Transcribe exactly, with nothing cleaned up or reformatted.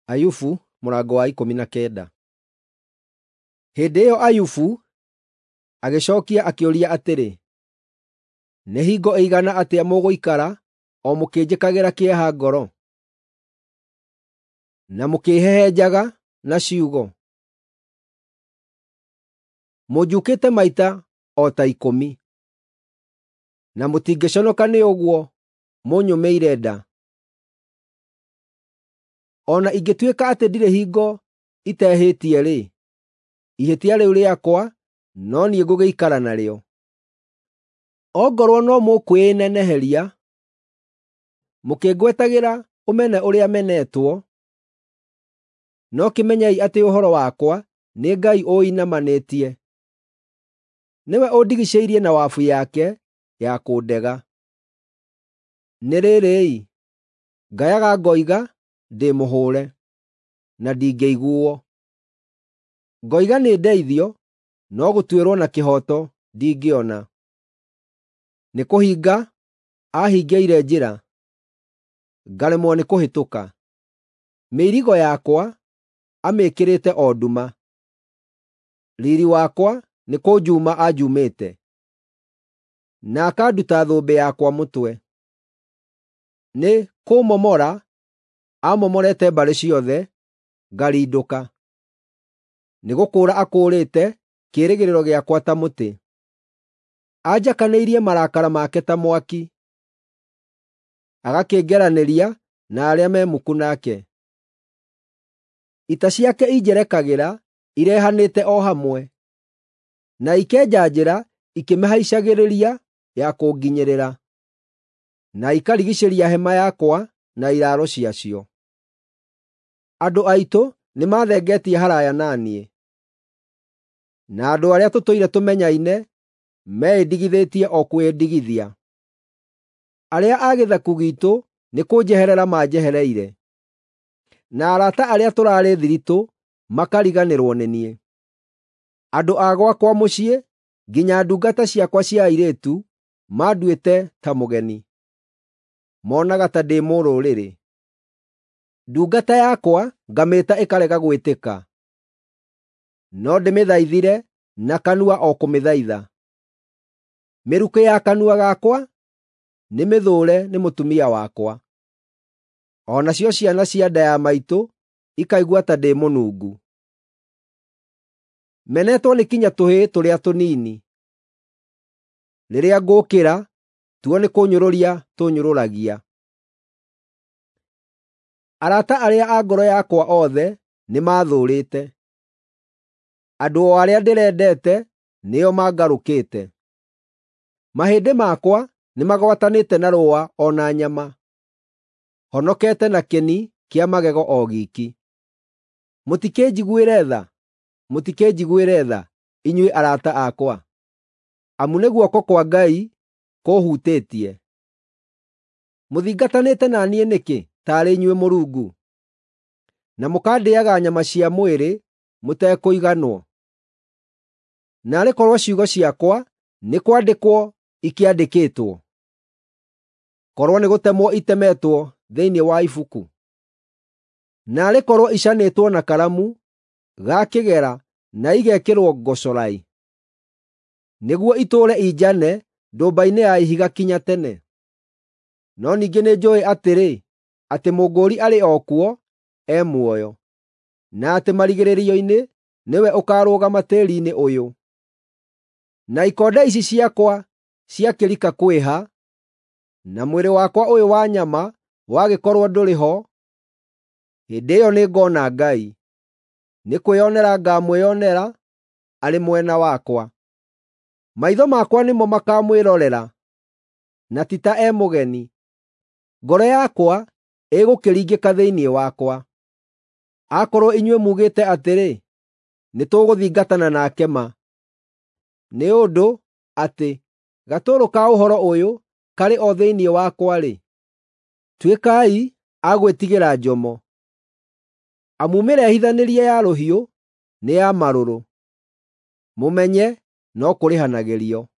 Ayubu mũrango wa ikũmi na kenda. Hĩndĩ ĩyo Ayubu agĩcookia akĩũria atĩrĩ, “Nĩ hingo ĩigana atĩa mũgũikara o mũkĩnjĩkagĩra kĩeha ngoro, na mũkĩĩhehenjaga na ciugo? Mũnjukĩte maita o ta ikũmi, na mũtingĩconoka nĩ ũguo mũnyũmĩire nda. O na ingĩtuĩka atĩ ndirĩ hingo itehĩtie-rĩ, ihĩtia rĩu rĩakwa no niĩ ngũgĩikara narĩo. Ongorwo no mũkwĩĩneneheria mũkĩngwetagĩra ũmene ũrĩa menetwo, no kĩmenyei atĩ ũhoro wakwa nĩ Ngai ũinamanĩtie; nĩwe ũndigiicĩirie na wabu yake ya kũndega. Nĩ rĩrĩ-ĩ, ngayaga ngoiga ndĩ mũhũũre, na ndingĩiguuo; ngoiga nĩndeithio, no gũtuĩrwo na kĩhooto ndingĩona. Nĩkũhinga aahingĩire njĩra, ngaremwo nĩkũhĩtũka. Mĩirigo yakwa amĩĩkĩrĩte o nduma; riiri wakwa nĩkũnjuuma anjumĩte, na akanduta thũmbĩ yakwa mũtwe. Nĩ kũũmomora aamomorete mbarĩ ciothe, ngarindũka. Nĩgũkũũra akũũrĩte kĩĩrĩgĩrĩro gĩakwa ta mũtĩ; anjakanĩirie marakara make ta mwaki, agakĩngeranĩria na arĩa me muku nake. Ita ciake injerekagĩra irehanĩte o hamwe, na ikenja njĩra ikĩmĩhaicagĩrĩria ya kũnginyĩrĩra, na ikarigiicĩria hema yakwa na iraaro ciacio. Andũ aitũ nĩmathengetie haraaya na niĩ, na andũ arĩa tũtũire tũmenyaine meĩndigithĩtie o kwĩĩndigithia. Arĩa a gĩthaku giitũ nĩkũnjeherera manjehereire, na arata arĩa tũraarĩ thiritũ makariganĩrwo nĩ niĩ. Andũ a gwakwa mũciĩ, nginya ndungata ciakwa cia airĩtu, manduĩte ta mũgeni; monaga ta ndĩ mũrũrĩrĩ. Ndungata yakwa ngamĩĩta ĩkarega gwĩtĩka, no ndĩmĩthaithire na kanua o kũmĩthaitha. Mĩrukĩ ya kanua gakwa nĩmĩthũũre nĩ mũtumia wakwa, o nacio ciana cia nda ya maitũ ikaigua ta ndĩ mũnungu. Menetwo nĩ kinya tũhĩĩ tũrĩa tũnini; rĩrĩa ngũũkĩra, tuo nĩkũnyũrũria tũnyũrũragia. Arata arĩa a ngoro yakwa othe nĩmathũũrĩte; andũ o arĩa ndĩrendete nĩo mangarũkĩte. Mahĩndĩ makwa nĩmagwatanĩte na rũũa o na nyama; honokete na kĩni kĩa magego o giiki. Mũtikĩnjiguĩre tha, mũtikĩnjiguĩre tha, inyuĩ arata akwa, amu nĩ guoko kwa Ngai kũũhutĩtie. Mũthingatanĩte na niĩ nĩkĩ taarĩ inyuĩ Mũrungu, na mũkandĩĩaga nyama cia mwĩrĩ mũtekũiganwo? Naarĩ korwo ciugo ciakwa nĩ kwandĩkwo ikĩandĩkĩtwo, korwo nĩgũtemwo itemetwo thĩinĩ wa ibuku! Naarĩ korwo icanĩtwo na karamu ga kĩgera na igekĩrwo ngocorai, nĩguo itũũre injane ndũmba-inĩ ya ihiga kinya tene! No ningĩ nĩnjũũĩ atĩrĩ, atĩ Mũngũũri arĩ o kuo e muoyo, na atĩ marigĩrĩrio-inĩ nĩwe ũkaarũgama tĩĩri-inĩ ũyũ. Na ikonde ici ciakwa ciakĩrika kwĩha, na mwĩrĩ wakwa ũyũ wa nyama wagĩkorwo ndũrĩ ho, hĩndĩ ĩyo nĩngona Ngai; nĩkwĩonera ngaamwĩonera arĩ mwena wakwa. Maitho makwa nĩmo makaamwĩrorera, na ti ta e mũgeni. Ngoro yakwa ĩgũkĩringĩka thĩinĩ wakwa. Akorwo inyuĩ muugĩte atĩrĩ, “Nĩtũgũthingatana nake ma,” nĩ ũndũ atĩ gatũrũ ka ũhoro ũyũ karĩ o thĩinĩ wakwa-rĩ, tuĩkai a gwĩtigĩra njomo, amu mĩrehithanĩrie ya rũhiũ nĩ ya marũrũ, mũmenye no kũrĩhanagĩrio.